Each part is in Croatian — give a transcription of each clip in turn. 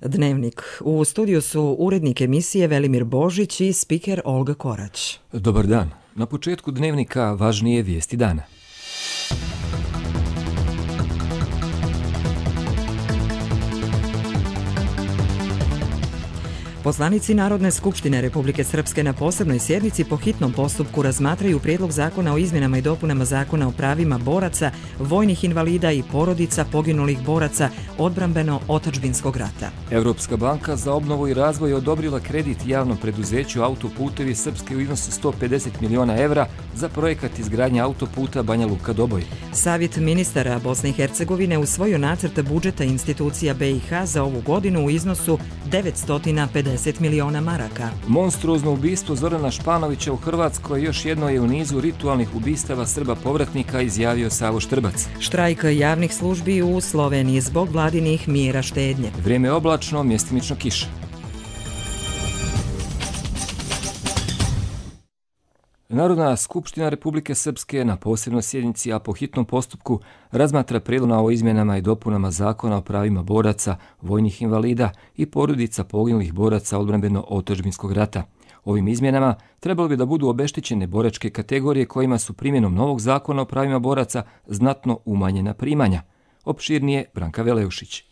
Dnevnik. U studiju su urednik emisije Velimir Božić i spiker Olga Korać. Dobar dan. Na početku Dnevnika važnije vijesti dana. Poslanici Narodne skupštine Republike Srpske na posebnoj sjednici po hitnom postupku razmatraju prijedlog zakona o izmjenama i dopunama Zakona o pravima boraca, vojnih invalida i porodica poginulih boraca odbrambeno-otadžbinskog rata. Europska banka za obnovu i razvoj odobrila kredit javnom preduzeću Autoputevi Srpske u iznosu 150 miliona evra za projekat izgradnje autoputa Banja Luka-Doboj. Savjet ministara Bosne i Hercegovine usvojio nacrt budžeta institucija BiH za ovu godinu u iznosu 950 miliona maraka. Monstruozno ubistvo Zorana Španovića u Hrvatskoj još jedno je u nizu ritualnih ubistava Srba povratnika, izjavio Savo Štrbac. Štrajk javnih službi u Sloveniji zbog vladinih mjera štednje. Vrijeme je oblačno, mjestimično kiša. Narodna skupština Republike Srpske na posebnoj sjednici, a po hitnom postupku, razmatra prijedlog o izmjenama i dopunama Zakona o pravima boraca, vojnih invalida i porodica poginulih boraca odbrambeno-otadžbinskog rata. Ovim izmjenama trebalo bi da budu obeštećene boračke kategorije kojima su primjenom novog Zakona o pravima boraca znatno umanjena primanja. Opširnije Branka Veleušić.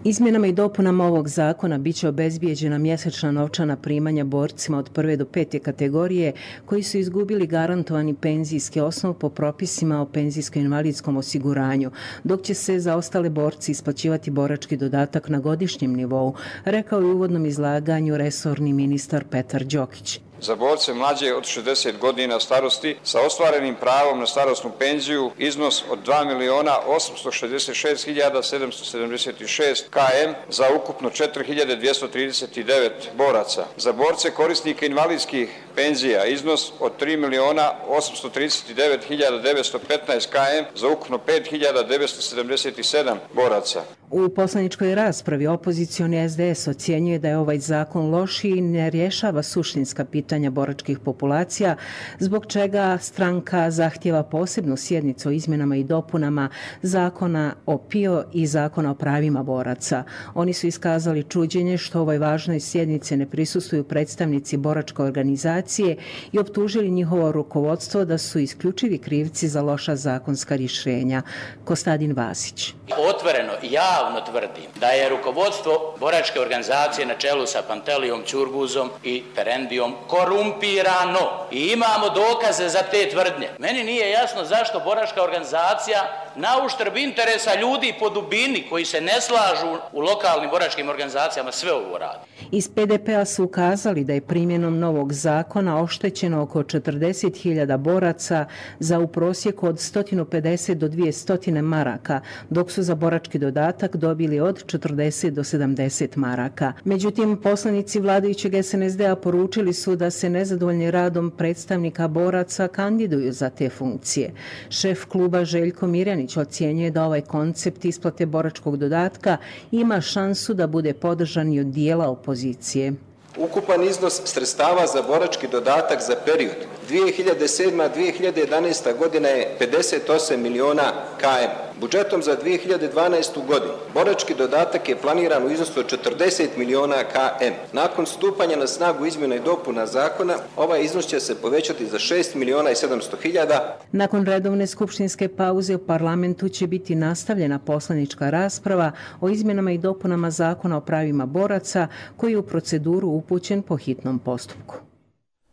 Izmjenama i dopunama ovog zakona bit će obezbijeđena mjesečna novčana primanja borcima od 1. do 5. kategorije koji su izgubili garantovani penzijski osnov po propisima o penzijsko-invalidskom osiguranju, dok će se za ostale borci isplaćivati borački dodatak na godišnjem nivou, rekao je u uvodnom izlaganju resorni ministar Petar Đokić. Za borce mlađe od 60 godina starosti sa ostvarenim pravom na starosnu penziju iznos od 2.866.776 km za ukupno 4.239 boraca. Za borce korisnike invalidskih penzija iznos od 3.839.915 km za ukupno 5.977 boraca. U poslaničkoj raspravi opozicioni SDS ocjenjuje da je ovaj zakon lošiji i ne rješava suštinska pitanja boračkih populacija, zbog čega stranka zahtjeva posebnu sjednicu o izmjenama i dopunama Zakona o PIO i Zakona o pravima boraca. Oni su iskazali čuđenje što ovoj važnoj sjednici ne prisustvuju predstavnici boračke organizacije i optužili njihovo rukovodstvo da su isključivi krivci za loša zakonska rješenja. Kostadin Vasić. Otvoreno i javno tvrdim da je rukovodstvo boračke organizacije na čelu sa Pantelijom Ćurguzom i Perendijom korumpirano i imamo dokaze za te tvrdnje. Meni nije jasno zašto boračka organizacija na uštrb interesa ljudi po dubini koji se ne slažu u lokalnim boračkim organizacijama sve ovo radi. Iz PDP-a su ukazali da je primjenom novog zakona oštećeno oko 40.000 boraca za u prosjeku od 150 do 200 maraka, dok su za borački dodatak dobili od 40 do 70 maraka. Međutim, poslanici vladajućeg SNSD-a poručili su da se nezadovoljni radom predstavnika boraca kandiduju za te funkcije. Šef kluba Željko Mirjanić ocjenjuje da ovaj koncept isplate boračkog dodatka ima šansu da bude podržan i od dijela opozicije. Ukupan iznos sredstava za borački dodatak za period 2007-2011. godina je 58 miliona km. Budžetom za 2012. godinu borački dodatak je planiran u iznosu od 40 miliona km. Nakon stupanja na snagu izmjena i dopuna zakona, ovaj iznos će se povećati za 6 miliona i 700 hiljada. Nakon redovne skupštinske pauze u parlamentu će biti nastavljena poslanička rasprava o izmjenama i dopunama Zakona o pravima boraca koji je u proceduru upućen po hitnom postupku.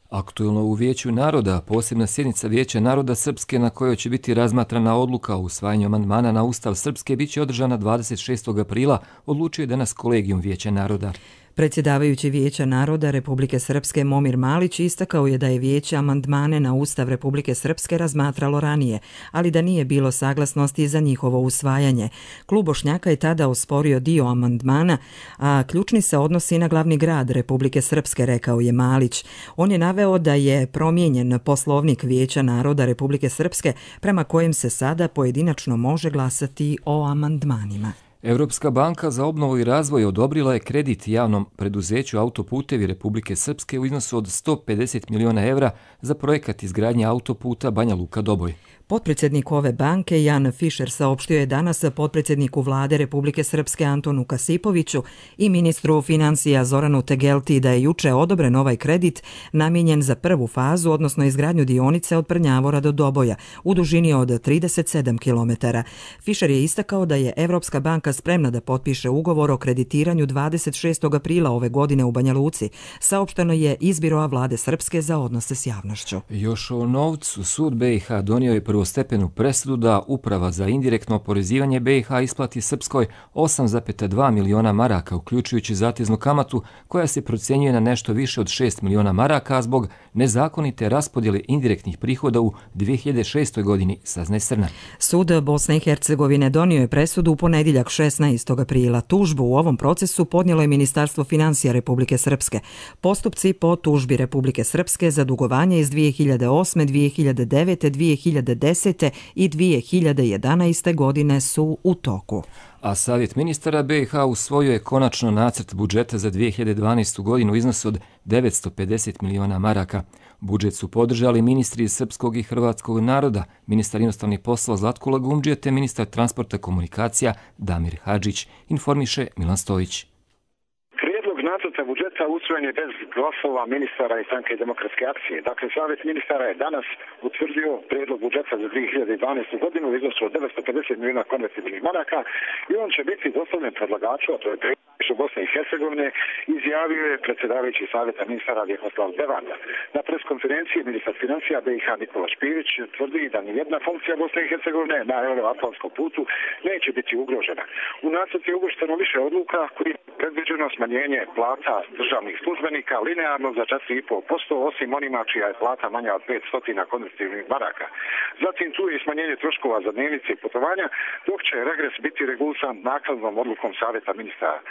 Aktuelno u Vijeću naroda, posebna sjednica Vijeća naroda Srpske na kojoj će biti razmatrana odluka o usvajanju amandmana na Ustav Srpske biće održana 26. aprila, odlučio je danas kolegijum Vijeća naroda. Predsjedavajući Vijeća naroda Republike Srpske Momir Malić istakao je da je Vijeće amandmane na Ustav Republike Srpske razmatralo ranije, ali da nije bilo saglasnosti za njihovo usvajanje. Klub Bošnjaka je tada osporio dio amandmana, a ključni se odnosi na glavni grad Republike Srpske, rekao je Malić. On je naveo da je promijenjen Poslovnik Vijeća naroda Republike Srpske prema kojem se sada pojedinačno može glasati o amandmanima. Europska banka za obnovu i razvoj odobrila je kredit javnom preduzeću Autoputevi Republike Srpske u iznosu od 150 miliona evra za projekat izgradnje autoputa Banja Luka-Doboj. Potpredsjednik ove banke Jan Fischer saopštio je danas potpredsjedniku vlade Republike Srpske Antonu Kasipoviću i ministru financija Zoranu Tegelti da je juče odobren ovaj kredit namijenjen za prvu fazu, odnosno izgradnju dionice od Prnjavora do Doboja u dužini od 37 km. Fischer je istakao da je Evropska banka spremna da potpiše ugovor o kreditiranju 26. aprila ove godine u Banja Luci, saopšteno je iz Biroa vlade Srpske za odnose s javnošću. Još o novcu sud BiH donio je prvostepenu presudu da Uprava za indirektno oporezivanje BiH isplati Srpskoj 8,2 miliona maraka, uključujući zateznu kamatu koja se procjenjuje na nešto više od 6 miliona maraka zbog nezakonite raspodjele indirektnih prihoda u 2006. godini, saznaje Srna. Sud Bosne i Hercegovine donio je presudu u ponedjeljak 16. aprila. Tužbu u ovom procesu podnijelo je Ministarstvo financija Republike Srpske. Postupci po tužbi Republike Srpske za dugovanje iz 2008., 2009., 2010. i 2011. godine su u toku. A Savjet ministara BiH usvojio je konačno nacrt budžeta za 2012. godinu u iznosu od 950 miliona maraka. Budžet su podržali ministri iz srpskog i hrvatskog naroda, ministar inostranih poslova Zlatko Lagumdžija te ministar transporta komunikacija Damir Hadžić, informiše Milan Stojić. Nacrta budžeta usvojen je bez glasova ministara i Stranke demokratske akcije. Dakle, Savjet ministara je danas utvrdio prijedlog budžeta za 2012. godinu u iznosu od 950 milijuna konvertibilnih maraka i on će biti dostavljen predlagaču, a to je predsjednik Bosne i Hercegovine, izjavio je predsjedavajući Savjeta ministara Vjekoslav Devanda. Na preskonferenciji ministar financija BiH Nikola Špirić tvrdi da nijedna funkcija Bosne i Hercegovine na euroatlantskom putu neće biti ugrožena. U nacrtu je uvršteno više odluka koji je predviđeno smanjenje plata državnih službenika linearno za 4,5%, osim onima čija je plata manja od 500 konvertibilnih maraka. Zatim tu je i smanjenje troškova za dnevnice i putovanja, dok će regres biti regulisan naknadnom odlukom Savjeta ministara.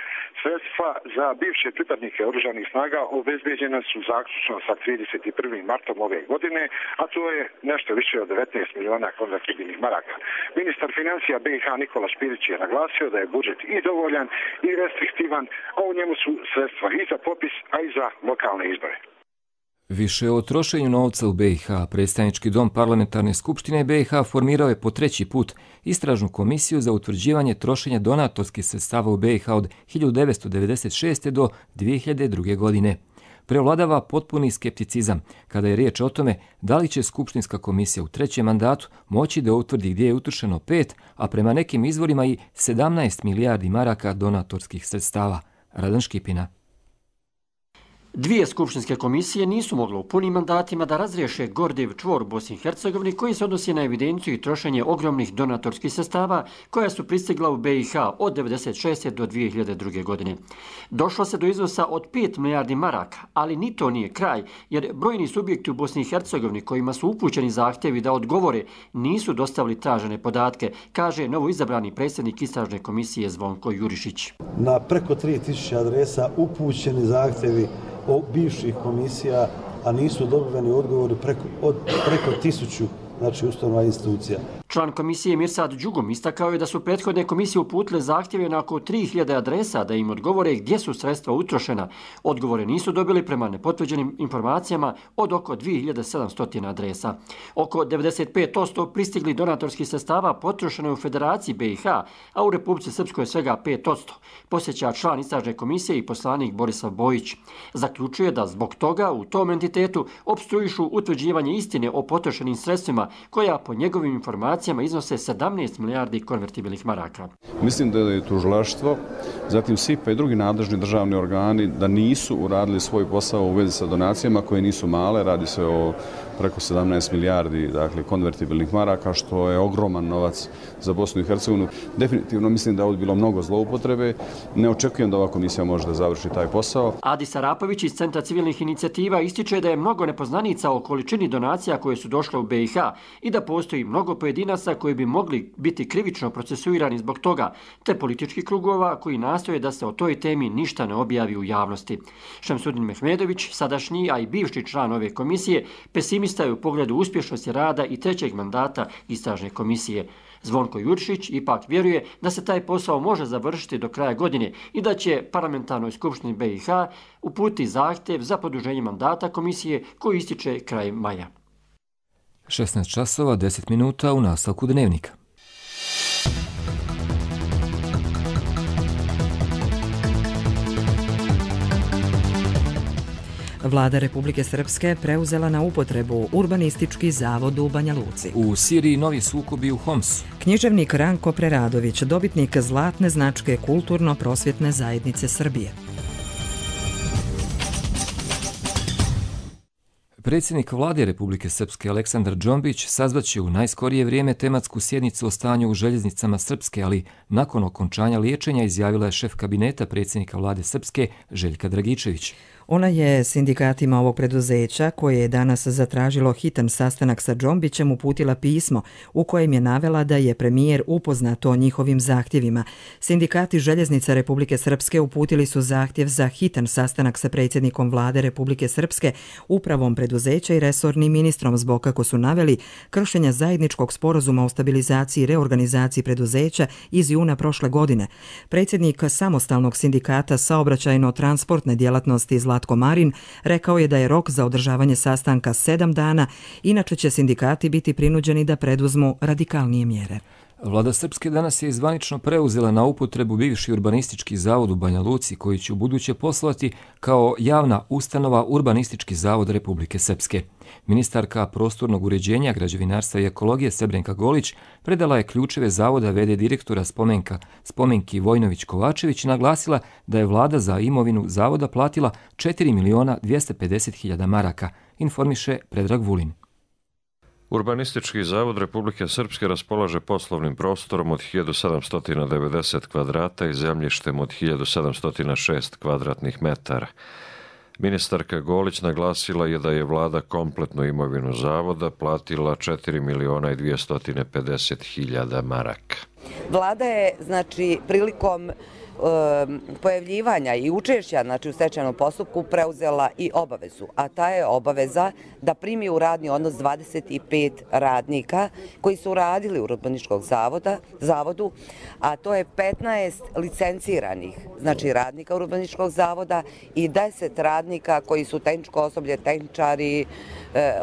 Sredstva za bivše pripadnike oružanih snaga obezbeđena su zaključno sa 31. martom ove godine, a to je nešto više od 19 miliona konvertibilnih maraka. Ministar financija BiH Nikola Špirić je naglasio da je budžet i dovoljan i restriktivan, a u njemu su sredstva i za popis, a i za lokalne izbore. Više o trošenju novca u BiH, predstavnički dom parlamentarne skupštine BiH formirao je po treći put istražnu komisiju za utvrđivanje trošenja donatorskih sredstava u BiH od 1996. do 2002. godine. Prevladava potpuni skepticizam kada je riječ o tome da li će skupštinska komisija u trećem mandatu moći da utvrdi gdje je utrošeno 5, a prema nekim izvorima i 17 milijardi maraka donatorskih sredstava. Radan Škipina. Dvije skupštinske komisije nisu mogle u punim mandatima da razriješe gordiv čvor u Bosni i Hercegovini koji se odnosi na evidenciju i trošenje ogromnih donatorskih sredstava koja su pristigla u BiH od 1996. do 2002. godine. Došlo se do iznosa od 5 milijardi maraka, ali ni to nije kraj, jer brojni subjekti u Bosni i Hercegovini kojima su upućeni zahtjevi da odgovore nisu dostavili tražene podatke, kaže novoizabrani predsjednik istražne komisije Zvonko Jurišić. Na preko 3000 adresa upućeni zahtjevi o bivših komisija, a nisu dobiveni odgovori preko 1000, znači ustanova institucija. Član komisije Mirsad Đugum istakao je da su prethodne komisije uputile zahtjeve na oko 3000 adresa da im odgovore gdje su sredstva utrošena. Odgovore nisu dobili prema nepotvrđenim informacijama od oko 2700 adresa. Oko 95% pristigli donatorskih sredstava potrošeno je u Federaciji BiH, a u Republici Srpskoj svega 5%, posjeća član istražne komisije i poslanik Borislav Bojić. Zaključuje da zbog toga u tom entitetu opstruišu utvrđivanje istine o potrošenim sredstvima koja po njegovim informacijama iznose 17 milijardi konvertibilnih maraka. Mislim da je tužilaštvo, zatim SIP i drugi nadležni državni organi da nisu uradili svoj posao u vezi sa donacijama koje nisu male, radi se o preko 17 milijardi konvertibilnih maraka, što je ogroman novac za Bosnu i Hercegovinu. Definitivno mislim da je bilo mnogo zloupotrebe. Ne očekujem da ova komisija može da završi taj posao. Adis Arapović iz Centra civilnih inicijativa ističe da je mnogo nepoznanica o količini donacija koje su došle u BiH i da postoji mnogo pojedinaca koji bi mogli biti krivično procesuirani zbog toga, te političkih krugova koji nastoje da se o toj temi ništa ne objavi u javnosti. Šemsudin Mehmedović, sadašnji, a i bivši član ove komisije, pesimista je u pogledu uspješnosti rada i trećeg mandata istražne komisije. Zvonko Jurišić ipak vjeruje da se taj posao može završiti do kraja godine i da će parlamentarnoj skupštini BiH uputiti zahtjev za produženje mandata komisije koji ističe kraj maja. 16 časova 10 minuta u nastavku dnevnika. Vlada Republike Srpske preuzela na upotrebu Urbanistički zavod u Banja Luci. U Siriji novi sukobi u Homsu. Književnik Ranko Preradović, dobitnik zlatne značke Kulturno-prosvjetne zajednice Srbije. Predsjednik Vlade Republike Srpske Aleksandar Džombić sazvaće u najskorije vrijeme tematsku sjednicu o stanju u željeznicama Srpske, ali nakon okončanja liječenja izjavila je šef kabineta predsjednika Vlade Srpske Željka Dragičević. Ona je sindikatima ovog preduzeća, koje je danas zatražilo hitan sastanak sa Džombićem, uputila pismo u kojem je navela da je premijer upoznat o njihovim zahtjevima. Sindikati željeznica Republike Srpske uputili su zahtjev za hitan sastanak sa predsjednikom Vlade Republike Srpske, upravom preduzeća i resornim ministrom zbog, kako su naveli, kršenja zajedničkog sporazuma o stabilizaciji i reorganizaciji preduzeća iz juna prošle godine. Predsjednik samostalnog sindikata saobraćajno-transportne djelatnosti Zlatko Marin rekao je da je rok za održavanje sastanka 7 dana, inače će sindikati biti prinuđeni da preduzmu radikalnije mjere. Vlada Srpske danas je zvanično preuzela na upotrebu bivši Urbanistički zavod u Banja Luci, koji će ubuduće poslovati kao javna ustanova Urbanistički zavod Republike Srpske. Ministarka prostornog uređenja, građevinarstva i ekologije Srebrenka Golić predala je ključeve zavoda v.d. direktora Spomenki Vojnović-Kovačević i naglasila da je vlada za imovinu zavoda platila 4.250.000 maraka, informiše Predrag Vulin. Urbanistički zavod Republike Srpske raspolaže poslovnim prostorom od 1790 kvadrata i zemljištem od 1706 kvadratnih metara. Ministarka Golić naglasila je da je vlada kompletnu imovinu zavoda platila 4.250.000 maraka. Vlada je, prilikom pojavljivanja i učešća u stečajnom postupku preuzela i obavezu, a ta je obaveza da primi u radni odnos 25 radnika koji su radili u Urbanističkom zavodu, a to je 15 licenciranih radnika Urbanističkog zavoda i 10 radnika koji su tehničko osoblje, tehničari,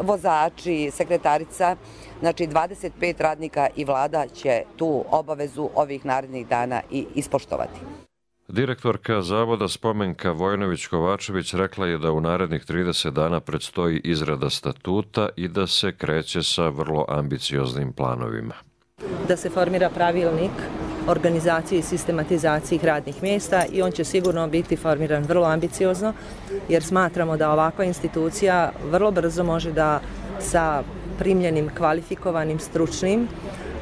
vozači, sekretarica, 25 radnika, i vlada će tu obavezu ovih narednih dana i ispoštovati. Direktorka zavoda Spomenka Vojnović-Kovačević rekla je da u narednih 30 dana predstoji izrada statuta i da se kreće sa vrlo ambicioznim planovima. Da se formira pravilnik organizacije i sistematizacije radnih mjesta i on će sigurno biti formiran vrlo ambiciozno, jer smatramo da ovakva institucija vrlo brzo može da sa primljenim, kvalifikovanim, stručnim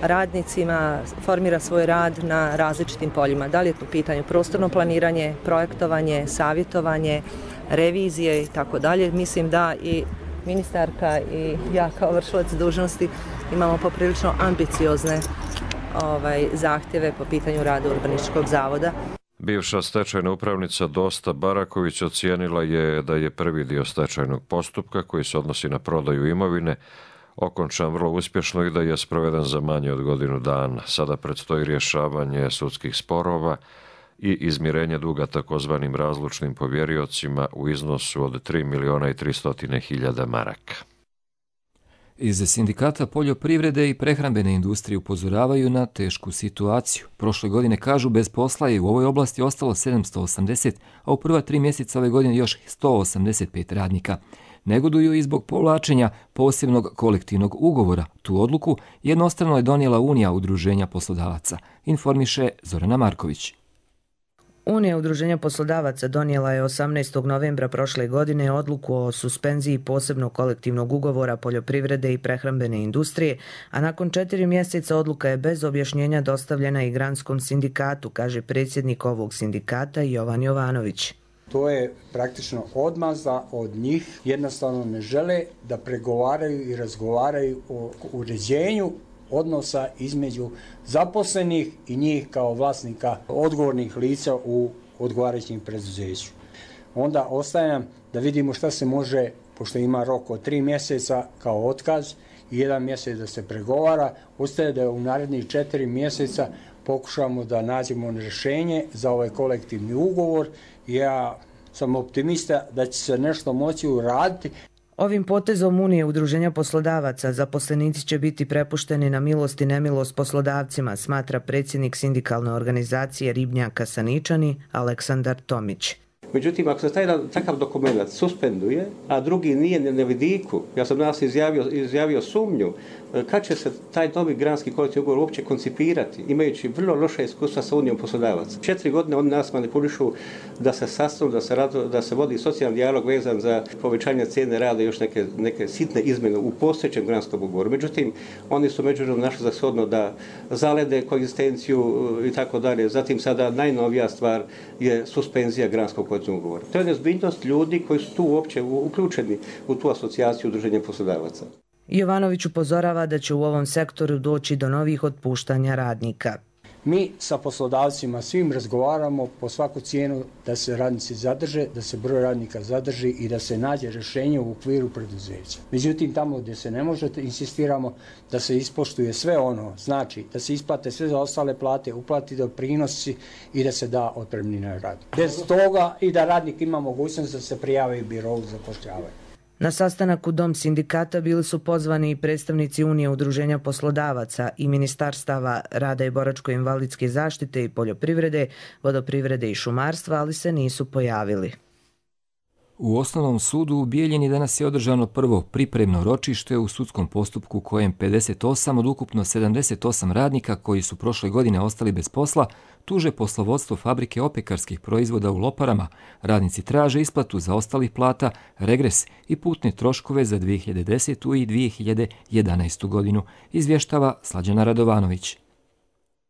radnicima formira svoj rad na različitim poljima. Da li je to pitanje prostorno planiranje, projektovanje, savjetovanje, revizije i tako dalje. Mislim da i ministarka i ja kao vršilac dužnosti imamo poprilično ambiciozne zahtjeve po pitanju rada Urbanističkog zavoda. Bivša stečajna upravnica Dosta Baraković ocijenila je da je prvi dio stečajnog postupka, koji se odnosi na prodaju imovine, okončan vrlo uspješno i da je sproveden za manje od godinu dana. Sada predstoji rješavanje sudskih sporova i izmirenje duga takozvanim razlučnim povjeriocima u iznosu od 3.300.000 maraka. Iz sindikata poljoprivrede i prehrambene industrije upozoravaju na tešku situaciju. Prošle godine, kažu, bez posla je u ovoj oblasti ostalo 780, a u prva 3 mjeseca ove godine još 185 radnika. Negoduju i zbog povlačenja posebnog kolektivnog ugovora. Tu odluku jednostrano je donijela Unija udruženja poslodavaca, informiše Zorana Marković. Unija udruženja poslodavaca donijela je 18. novembra prošle godine odluku o suspenziji posebnog kolektivnog ugovora poljoprivrede i prehrambene industrije, a nakon 4 mjeseca odluka je bez objašnjenja dostavljena i granskom sindikatu, kaže predsjednik ovog sindikata Jovan Jovanović. To je praktično odmazda od njih, jednostavno ne žele da pregovaraju i razgovaraju o uređenju odnosa između zaposlenih i njih kao vlasnika odgovornih lica u odgovarajućim preduzeću. Onda ostaje nam da vidimo šta se može, pošto ima rok od 3 mjeseca kao otkaz i 1 mjesec da se pregovara, ostaje da u narednih 4 mjeseca pokušamo da nađemo rješenje za ovaj kolektivni ugovor. Ja sam optimista da će se nešto moći uraditi. Ovim potezom Unije udruženja poslodavaca zaposlenici će biti prepušteni na milost i nemilost poslodavcima, smatra predsjednik sindikalne organizacije Ribnjaka Saničani Aleksandar Tomić. Međutim, ako se taj takav dokument suspenduje, a drugi nije na vidiku, ja sam danas izjavio sumnju, kad će se taj novi granski kolektivni ugovor uopće koncipirati, imajući vrlo loše iskustva sa Unijom poslodavaca. 4 godine oni nas manipulišu da se sastanu, da se vodi socijalni dijalog vezan za povećanje cijene rada i još neke sitne izmjene u postojećem granskom ugovoru. Međutim, oni su međuvremeno našli za shodno da zalede koegzistenciju i tako dalje. Zatim sada najnovija stvar je suspenzija granskog kolektivnog ugovora. To je nezbiljnost ljudi koji su tu uopće uključeni u tu asocijaciju udruženja poslodavaca. Jovanović upozorava da će u ovom sektoru doći do novih otpuštanja radnika. Mi sa poslodavcima svim razgovaramo po svaku cijenu da se radnici zadrže, da se broj radnika zadrži i da se nađe rješenje u okviru preduzeća. Međutim, tamo gdje se ne može, insistiramo da se ispoštuje sve ono, znači da se isplate sve za ostale plate, uplati doprinosi i da se da otpremnina radnika. Bez toga i da radnik ima mogućnost da se prijavi birovu za zapošljavanje. Na sastanak u Dom sindikata bili su pozvani i predstavnici Unije udruženja poslodavaca i ministarstava rada i boračko-invalidske zaštite i poljoprivrede, vodoprivrede i šumarstva, ali se nisu pojavili. U Osnovnom sudu u Bijeljini danas je održano prvo pripremno ročište u sudskom postupku kojem 58 od ukupno 78 radnika koji su prošle godine ostali bez posla tuže poslovodstvo fabrike opekarskih proizvoda u Loparama. Radnici traže isplatu zaostalih plata, regres i putne troškove za 2010. i 2011. godinu, izvještava Slađana Radovanović.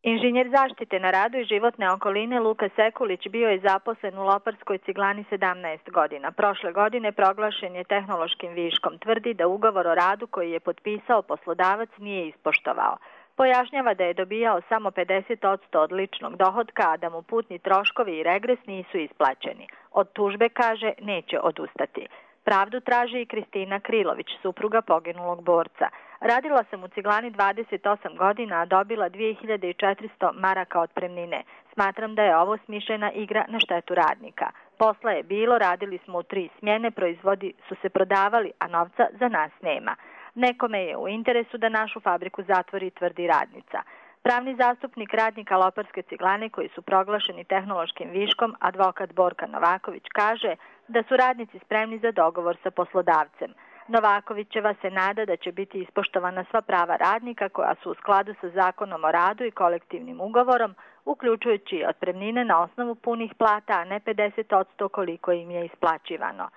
Inženjer zaštite na radu i životne okoline Luka Sekulić bio je zaposlen u Loparskoj ciglani 17 godina. Prošle godine proglašen je tehnološkim viškom. Tvrdi da ugovor o radu koji je potpisao poslodavac nije ispoštovao. Pojašnjava da je dobijao samo 50% od ličnog dohotka, a da mu putni troškovi i regres nisu isplaćeni. Od tužbe, kaže, neće odustati. Pravdu traži i Kristina Krilović, supruga poginulog borca. Radila sam u ciglani 28 godina, a dobila 2400 maraka otpremnine. Smatram da je ovo smišljena igra na štetu radnika. Posla je bilo, radili smo u 3 smjene, proizvodi su se prodavali, a novca za nas nema. Nekome je u interesu da našu fabriku zatvori, tvrdi radnica. Pravni zastupnik radnika Loparske ciglane koji su proglašeni tehnološkim viškom, advokat Borka Novaković, kaže da su radnici spremni za dogovor sa poslodavcem. Novakovićeva se nada da će biti ispoštovana sva prava radnika koja su u skladu sa zakonom o radu i kolektivnim ugovorom, uključujući otpremnine na osnovu punih plata, a ne 50% koliko im je isplaćivano.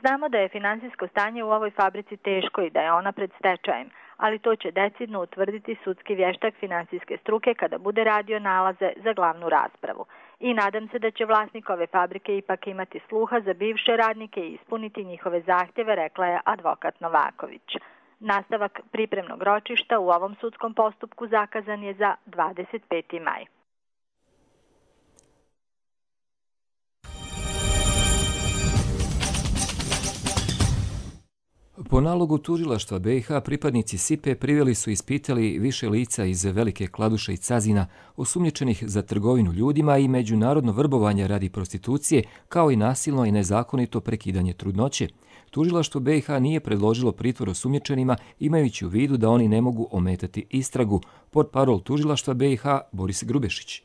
Znamo da je finansijsko stanje u ovoj fabrici teško i da je ona pred stečajem, ali to će decidno utvrditi sudski vještak finansijske struke kada bude radio nalaze za glavnu raspravu. I nadam se da će vlasnik ove fabrike ipak imati sluha za bivše radnike i ispuniti njihove zahtjeve, rekla je advokat Novaković. Nastavak pripremnog ročišta u ovom sudskom postupku zakazan je za 25. maj. Po nalogu tužilaštva BiH pripadnici SIPE priveli su i ispitali više lica iz Velike Kladuše i Cazina osumnjičenih za trgovinu ljudima i međunarodno vrbovanje radi prostitucije, kao i nasilno i nezakonito prekidanje trudnoće. Tužilaštvo BiH nije predložilo pritvor osumnjičenima imajući u vidu da oni ne mogu ometati istragu. Portparol tužilaštva BiH Boris Grubešić.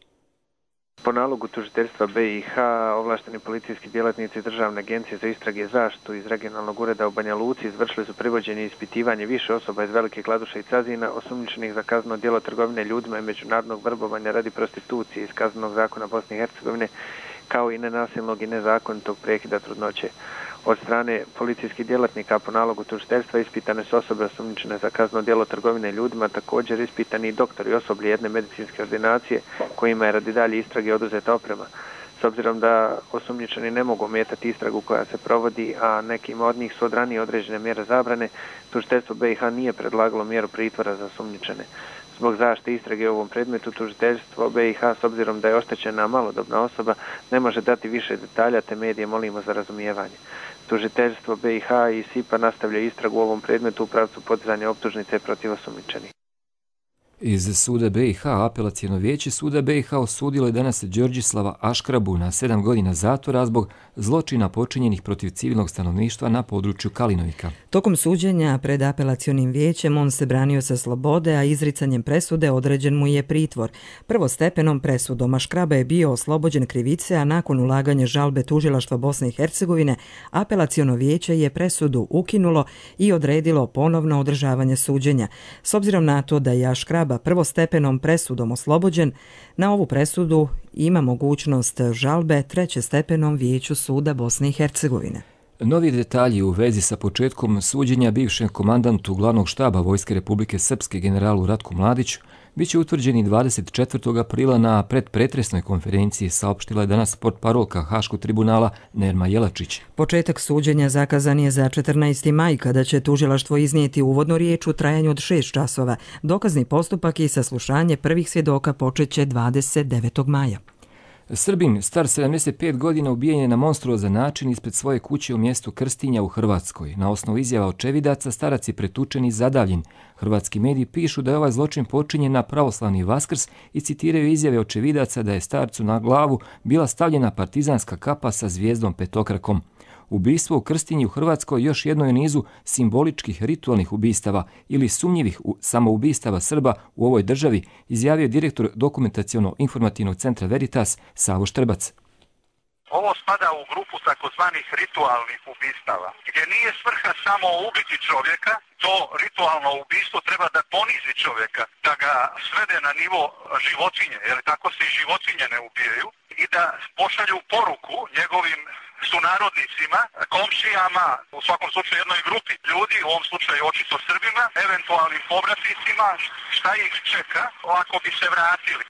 Po nalogu tužiteljstva BiH, ovlašteni policijski djelatnici Državne agencije za istrage i zaštitu iz regionalnog ureda u Banja Luci izvršili su privođenje i ispitivanje više osoba iz Velike Kladuše i Cazina osumnjičenih za kazneno djelo trgovine ljudima i međunarodnog vrbovanja radi prostitucije iz Kaznenog zakona Bosne i Hercegovine, kao i nenasilnog i nezakonitog prekida trudnoće. Od strane policijskih djelatnika po nalogu tužiteljstva ispitane su osobe osumnjičene za kazneno djelo trgovine ljudima, također ispitani i doktori i osoblje jedne medicinske ordinacije kojima je radi dalje istrage oduzeta oprema. S obzirom da osumnjičeni ne mogu ometati istragu koja se provodi, a nekima od njih su od ranije određene mjere zabrane, tužiteljstvo BiH nije predlagalo mjeru pritvora za osumnjičene. Zbog zaštite istrage u ovom predmetu, tužiteljstvo BiH, s obzirom da je oštećena malodobna osoba, ne može dati više detalja, te medije molimo za razumijevanje. Tužiteljstvo BiH i SIPA nastavlja istragu u ovom predmetu u pravcu podizanja optužnice protiv osumnjičenih. Iz suda BiH apelacijono vijeće suda BiH osudilo je danas Đorđislava Aškrabu na 7 godina zatvora zbog zločina počinjenih protiv civilnog stanovništva na području Kalinovika. Tokom suđenja pred apelacionim vijećem on se branio sa slobode, a izricanjem presude određen mu je pritvor. Prvostepenom presudom Aškraba je bio oslobođen krivice, a nakon ulaganja žalbe tužilaštva Bosne i Hercegovine, apelaciono vijeće je presudu ukinulo i odredilo ponovno održavanje suđenja. S obzirom na to da je Aškraba prvostepenom presudom oslobođen, na ovu presudu ima mogućnost žalbe trećestepenom vijeću suda Bosne i Hercegovine. Novi detalji u vezi sa početkom suđenja bivšem komandantu glavnog štaba Vojske Republike Srpske generalu Ratku Mladiću biće utvrđeni 24. aprila na predpretresnoj konferenciji, saopštila je danas portparolka Haškog tribunala Nerma Jelačić. Početak suđenja zakazan je za 14. maj, kada će tužilaštvo iznijeti uvodnu riječ u trajanju od 6 časova. Dokazni postupak i saslušanje prvih svjedoka počeće 29. maja. Srbin, star 75 godina, ubijen je na monstruozan način ispred svoje kuće u mjestu Krstinja u Hrvatskoj. Na osnovu izjava očevidaca, starac je pretučen i zadavljen. Hrvatski mediji pišu da je ovaj zločin počinjen na pravoslavni Vaskrs i citiraju izjave očevidaca da je starcu na glavu bila stavljena partizanska kapa sa zvijezdom petokrakom. Ubistvo u Krstinji u Hrvatskoj još jedno je nizu simboličkih ritualnih ubistava ili sumnjivih samoubistava Srba u ovoj državi, izjavio direktor dokumentaciono-informativnog centra Veritas Savo Štrbac. Ovo spada u grupu takozvanih ritualnih ubistava, gdje nije svrha samo ubiti čovjeka, to ritualno ubistvo treba da ponizi čovjeka, da ga svede na nivo životinje, jer tako se i životinje ne ubijaju, i da pošalju poruku njegovim sunarodnicima, komšijama, u svakom slučaju jednoj grupi ljudi, u ovom slučaju očito Srbima, eventualnim povratnicima, šta ih čeka ako bi se vratili.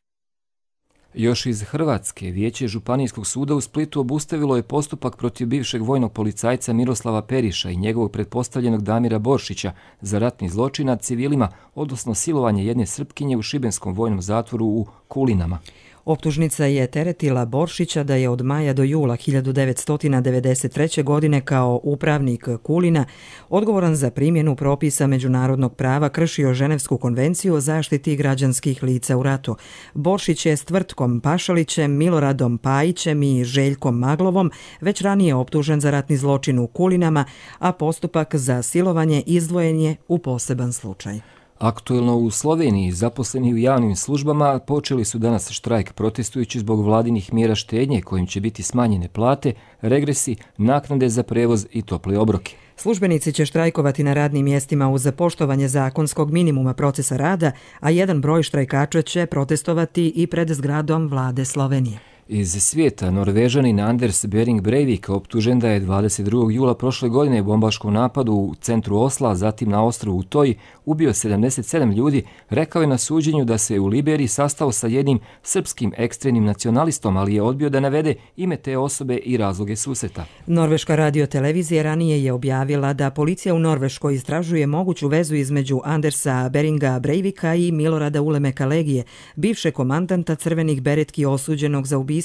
Još iz Hrvatske, vijeće Županijskog suda u Splitu obustavilo je postupak protiv bivšeg vojnog policajca Miroslava Periša i njegovog pretpostavljenog Damira Boršića za ratni zločin nad civilima, odnosno silovanje jedne Srpkinje u šibenskom vojnom zatvoru u Kulinama. Optužnica je teretila Boršića da je od maja do jula 1993. godine kao upravnik Kulina odgovoran za primjenu propisa međunarodnog prava kršio Ženevsku konvenciju o zaštiti građanskih lica u ratu. Boršić je s Tvrtkom Pašalićem, Miloradom Pajićem i Željkom Maglovom već ranije optužen za ratni zločin u Kulinama, a postupak za silovanje izdvojen je u poseban slučaj. Aktuelno u Sloveniji zaposleni u javnim službama počeli su danas štrajk protestujući zbog vladinih mjera štednje kojim će biti smanjene plate, regresi, naknade za prevoz i tople obroke. Službenici će štrajkovati na radnim mjestima uz poštovanje zakonskog minimuma procesa rada, a jedan broj štrajkača će protestovati i pred zgradom vlade Slovenije. Iz svijeta, Norvežanin Anders Behring Breivik optužen da je 22. jula prošle godine u bombaškom napadu u centru Osla, zatim na ostrvu Utoji, ubio 77 ljudi, rekao je na suđenju da se u Liberiji sastao sa jednim srpskim ekstremnim nacionalistom, ali je odbio da navede ime te osobe i razloge susreta. Norveška radiotelevizija ranije je objavila da policija u Norveškoj istražuje moguću vezu između Andersa Behringa Breivika i Milorada Ulemeka Legije, bivšeg komandanta crvenih beretki osuđenog za ubistvo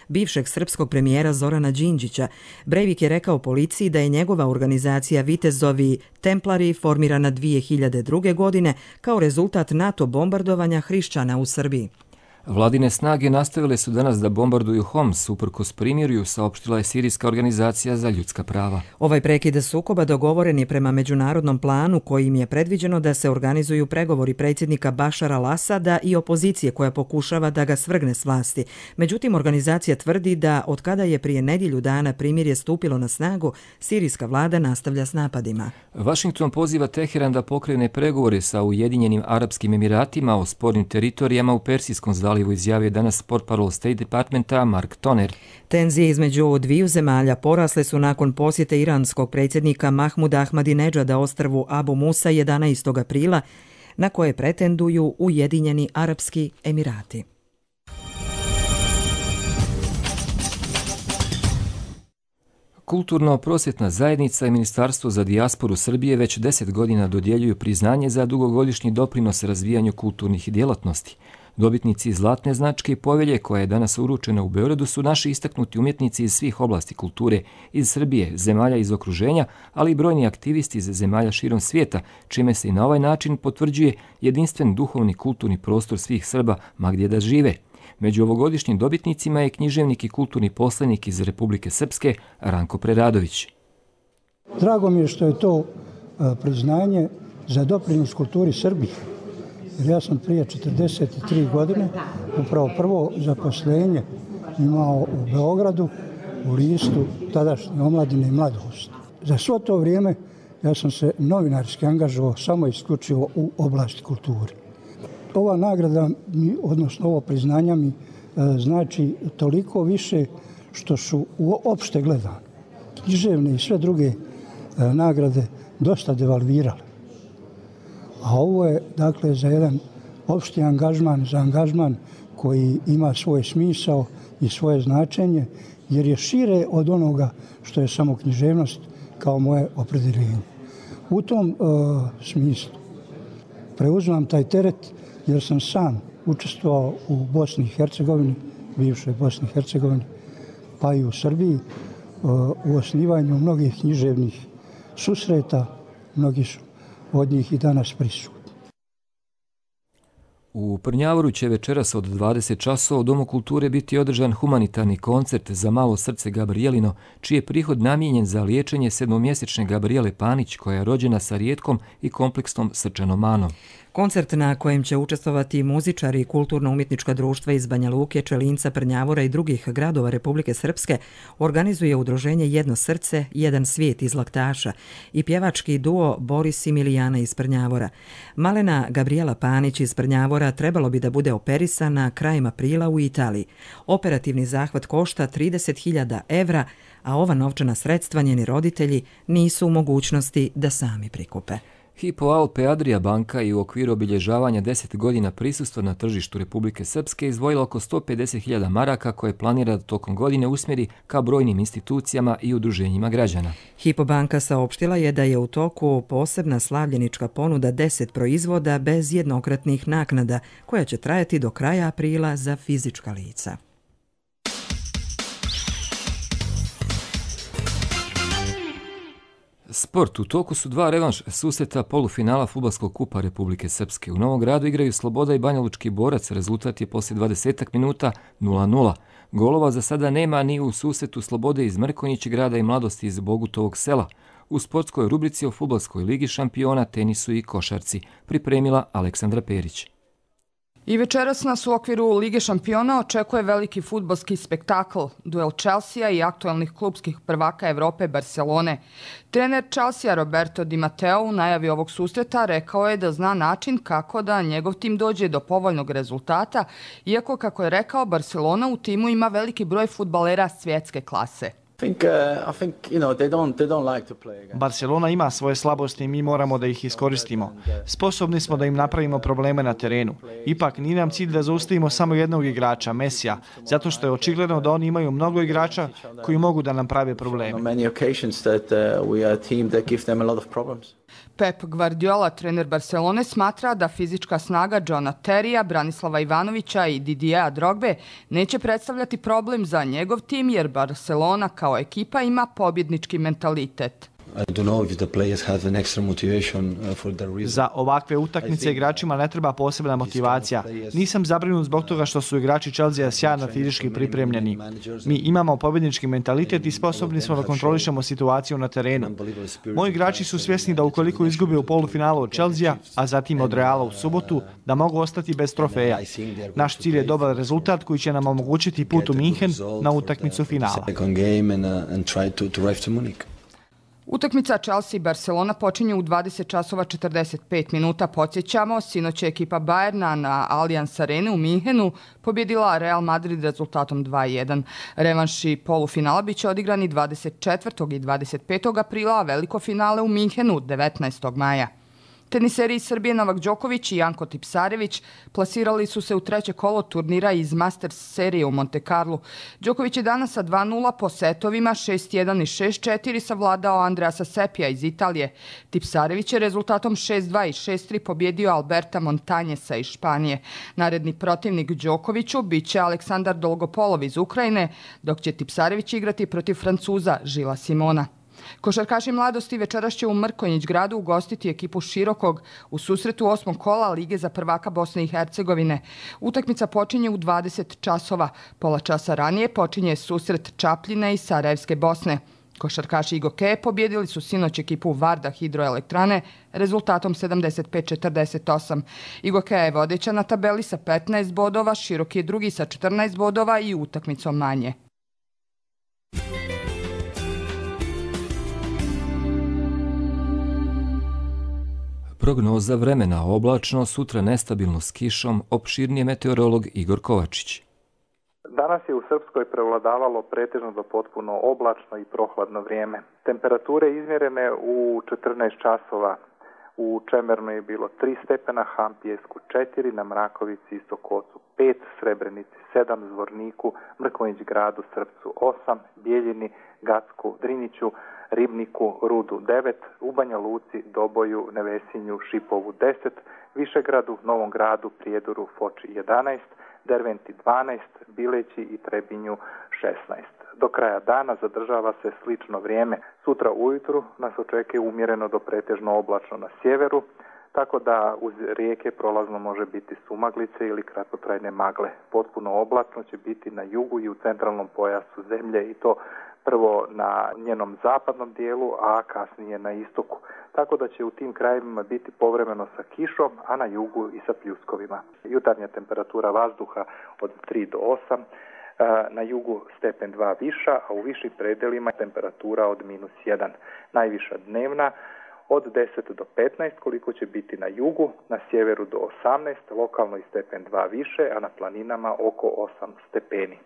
bivšeg srpskog premijera Zorana Đinđića. Breivik je rekao policiji da je njegova organizacija Vitezovi Templari formirana 2002. godine kao rezultat NATO bombardovanja hrišćana u Srbiji. Vladine snage nastavile su danas da bombarduju Homs, uprkos primirju, saopštila je Sirijska organizacija za ljudska prava. Ovaj prekid sukoba dogovoren je prema međunarodnom planu kojim je predviđeno da se organizuju pregovori predsjednika Bašara al-Asada i opozicije koja pokušava da ga svrgne s vlasti. Međutim, organizacija tvrdi da od kada je prije nedjelju dana primirje stupilo na snagu, sirijska vlada nastavlja s napadima. Washington poziva Teheran da pokrene pregovore sa Ujedinjenim Arapskim Emiratima o spornim teritorijama u Persijskom zalivu, izjavio danas portparol State Departmenta Mark Toner. Tenzije između dviju zemalja porasle su nakon posjete iranskog predsjednika Mahmuda Ahmadinedžada ostrvu Abu Musa 11. aprila, na koje pretenduju Ujedinjeni Arapski Emirati. Kulturno-prosvjetna zajednica i Ministarstvo za dijasporu Srbije već 10 godina dodjeljuju priznanje za dugogodišnji doprinos razvijanju kulturnih djelatnosti. Dobitnici Zlatne značke i povelje, koja je danas uručena u Beogradu, su naši istaknuti umjetnici iz svih oblasti kulture, iz Srbije, zemalja iz okruženja, ali i brojni aktivisti iz zemalja širom svijeta, čime se i na ovaj način potvrđuje jedinstven duhovni kulturni prostor svih Srba, ma gdje da žive. Među ovogodišnjim dobitnicima je književnik i kulturni poslanik iz Republike Srpske Ranko Preradović. Drago mi je što je to priznanje za doprinos kulturi Srbije. Jer ja sam prije 43 godine upravo prvo zaposlenje imao u Beogradu u listu tadašnje Omladine i mladost. Za svo to vrijeme ja sam se novinarski angažovao samo isključivo u oblasti kulture. Ova nagrada, odnosno ovo priznanja mi znači toliko više što su uopšte gledane književne i sve druge nagrade dosta devalvirale. A ovo je dakle za jedan opšti angažman, za angažman koji ima svoj smisao i svoje značenje, jer je šire od onoga što je samo književnost kao moje opredjeljenje. U tom smislu preuzimam taj teret jer sam sam učestvovao u Bosni i Hercegovini, bivšoj Bosni i Hercegovini, pa i u Srbiji, u osnivanju mnogih književnih susreta, mnogi su od njih i danas prisutni. U Prnjavoru će večeras od 20 časova u Domu kulture biti održan humanitarni koncert za malo srce Gabrijelino, čiji je prihod namijenjen za liječenje 7-mjesečne Gabriele Panić, koja je rođena sa rijetkom i kompleksnom srčanom manom. Koncert na kojem će učestvovati muzičari i kulturno-umjetnička društva iz Banja Luke, Čelinca, Prnjavora i drugih gradova Republike Srpske organizuje udruženje Jedno srce, jedan svijet iz Laktaša i pjevački duo Boris i Milijana iz Prnjavora. Malena Gabriela Panić iz Prnjavora trebalo bi da bude operisana krajem aprila u Italiji. Operativni zahvat košta 30.000 evra, a ova novčana sredstva njeni roditelji nisu u mogućnosti da sami prikupe. Hypo Alpe Adria banka i u okviru obilježavanja 10 godina prisustva na tržištu Republike Srpske izdvojila oko 150.000 maraka koje planira da tokom godine usmjeri ka brojnim institucijama i udruženjima građana. Hypo banka saopštila je da je u toku posebna slavljenička ponuda 10 proizvoda bez jednokratnih naknada koja će trajati do kraja aprila za fizička lica. Sport. U toku su dva revanš susreta polufinala Fudbalskog kupa Republike Srpske. U Novom Gradu igraju Sloboda i Banjalučki Borac. Rezultat je poslije 20 minuta 0:0. Golova za sada nema ni u susretu Slobode iz Mrkonjić grada i Mladosti iz Bogutovog sela. U sportskoj rubrici o Fudbalskoj ligi šampiona, tenisu i košarci pripremila Aleksandra Perić. I večeras nas u okviru Lige šampiona očekuje veliki fudbalski spektakl, duel Chelsea i aktualnih klubskih prvaka Evrope Barcelone. Trener Chelsea Roberto Di Matteo u najavi ovog susreta rekao je da zna način kako da njegov tim dođe do povoljnog rezultata, iako, kako je rekao, Barcelona u timu ima veliki broj fudbalera svjetske klase. Barcelona ima svoje slabosti i mi moramo da ih iskoristimo. Sposobni smo da im napravimo probleme na terenu. Ipak nije nam cilj da zaustavimo samo jednog igrača, Mesija, zato što je očigledno da oni imaju mnogo igrača koji mogu da nam prave probleme. Pep Guardiola, trener Barcelone, smatra da fizička snaga Johna Terija, Branislava Ivanovića i Didieja Drogbe neće predstavljati problem za njegov tim, jer Barcelona kao ekipa ima pobjednički mentalitet. Za ovakve utakmice igračima ne treba posebna motivacija. Nisam zabrinut zbog toga što su igrači Chelsea sjajno fizički pripremljeni. Mi imamo pobjednički mentalitet i sposobni smo da kontrolišemo situaciju na terenu. Moji igrači su svjesni da ukoliko izgube u polufinalu od Chelsea, a zatim od Reala u subotu, da mogu ostati bez trofeja. Naš cilj je dobar rezultat koji će nam omogućiti put u Minhen na utakmicu finala. Utakmica Chelsea i Barcelona počinje u 20 časova 45 minuta. Podsjećamo, sinoć je ekipa Bayerna na Allianz Arene u Minhenu pobjedila Real Madrid rezultatom 2:1. Revanši polufinala biće odigrani 24. i 25. aprila, a veliko finale u Minhenu 19. maja. Teniseri iz Srbije Novak Đoković i Janko Tipsarević plasirali su se u treće kolo turnira iz Masters serije u Monte Carlu. Đoković je danas sa 2-0 po setovima 6-1 i 6-4 savladao Andreasa Sepija iz Italije. Tipsarević je rezultatom 6-2 i 6-3 pobjedio Alberta Montanjesa iz Španije. Naredni protivnik Đokoviću biće Aleksandar Dolgopolov iz Ukrajine, dok će Tipsarević igrati protiv Francuza Žila Simona. Košarkaši mladosti večeras će u Mrkonjić gradu ugostiti ekipu Širokog u susretu 8. kola Lige za prvaka Bosne i Hercegovine. Utakmica počinje u 20 časova. Pola časa ranije počinje susret Čapljine i Sarajevske Bosne. Košarkaši Igoke pobjedili su sinoć ekipu Varda Hidroelektrane rezultatom 75-48. Igoke je vodeća na tabeli sa 15 bodova, Široki je drugi sa 14 bodova i utakmicom manje. Prognoza vremena oblačno, sutra nestabilno s kišom, opširnije meteorolog Igor Kovačić. Danas je u Srpskoj prevladavalo pretežno do potpuno oblačno i prohladno vrijeme. Temperature izmjerene u 14 časova. U Čemernu je bilo 3 stepena, Hampijesku 4, na Mrakovici i Sokocu 5, Srebrenici 7, Zvorniku, Mrkonjić gradu, Srpcu 8, Bijeljini, Gacku, Driniću, Ribniku, Rudu 9, u Banja Luci, Doboju, Nevesinju, Šipovu 10, Višegradu, Novom gradu, Prijedoru, Foči 11, Derventi 12, Bileći i Trebinju 16. Do kraja dana zadržava se slično vrijeme. Sutra ujutru nas očekuje umjereno do pretežno oblačno na sjeveru, tako da uz rijeke prolazno može biti sumaglice ili kratkotrajne magle. Potpuno oblačno će biti na jugu i u centralnom pojasu zemlje i to prvo na njenom zapadnom dijelu, a kasnije na istoku. Tako da će u tim krajevima biti povremeno sa kišom, a na jugu i sa pljuskovima. Jutarnja temperatura vazduha od 3 do 8, na jugu stepen 2 viša, a u višim predelima temperatura od -1. Najviša dnevna od 10 do 15, koliko će biti na jugu, na sjeveru do 18, lokalno i stepen 2 više, a na planinama oko 8 stepeni.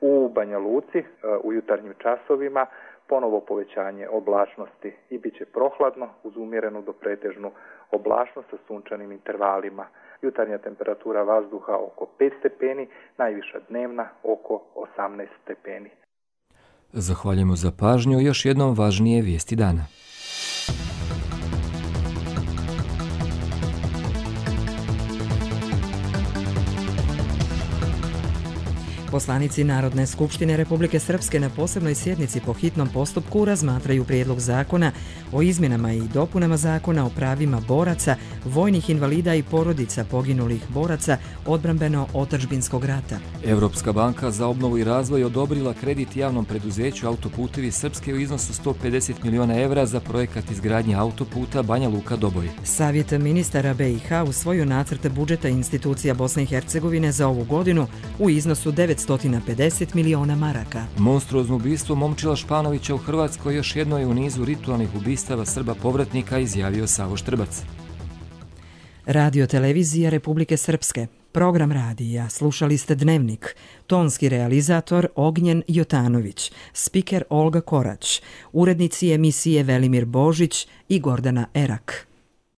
U Banja Luci u jutarnjim časovima ponovo povećanje oblačnosti i bit će prohladno uz umjerenu do pretežnu oblačnost sa sunčanim intervalima. Jutarnja temperatura vazduha oko 5 stepeni, najviša dnevna oko 18 stepeni. Zahvaljujemo za pažnju. Još jednom važnije vijesti dana. Poslanici Narodne skupštine Republike Srpske na posebnoj sjednici po hitnom postupku razmatraju prijedlog zakona o izmjenama i dopunama zakona o pravima boraca, vojnih invalida i porodica poginulih boraca odbrambeno-otadžbinskog rata. Evropska banka za obnovu i razvoj odobrila kredit javnom preduzeću Autoputevi Srpske u iznosu 150 miliona evra za projekat izgradnje autoputa Banja Luka-Doboj. Savjet ministara BiH usvojio nacrt budžeta institucija Bosne i Hercegovine za ovu godinu u iznosu 950 miliona maraka. Monstruozno ubistvo Momčila Španovića u Hrvatskoj još jedno je u nizu ritualnih ubistava Srba povratnika, izjavio Savo Štrbac. Radio televizija Republike Srpske. Program radija slušali ste Dnevnik. Tonski realizator Ognjen Jotanović. Spiker Olga Korać. Urednici emisije Velimir Božić i Gordana Erak.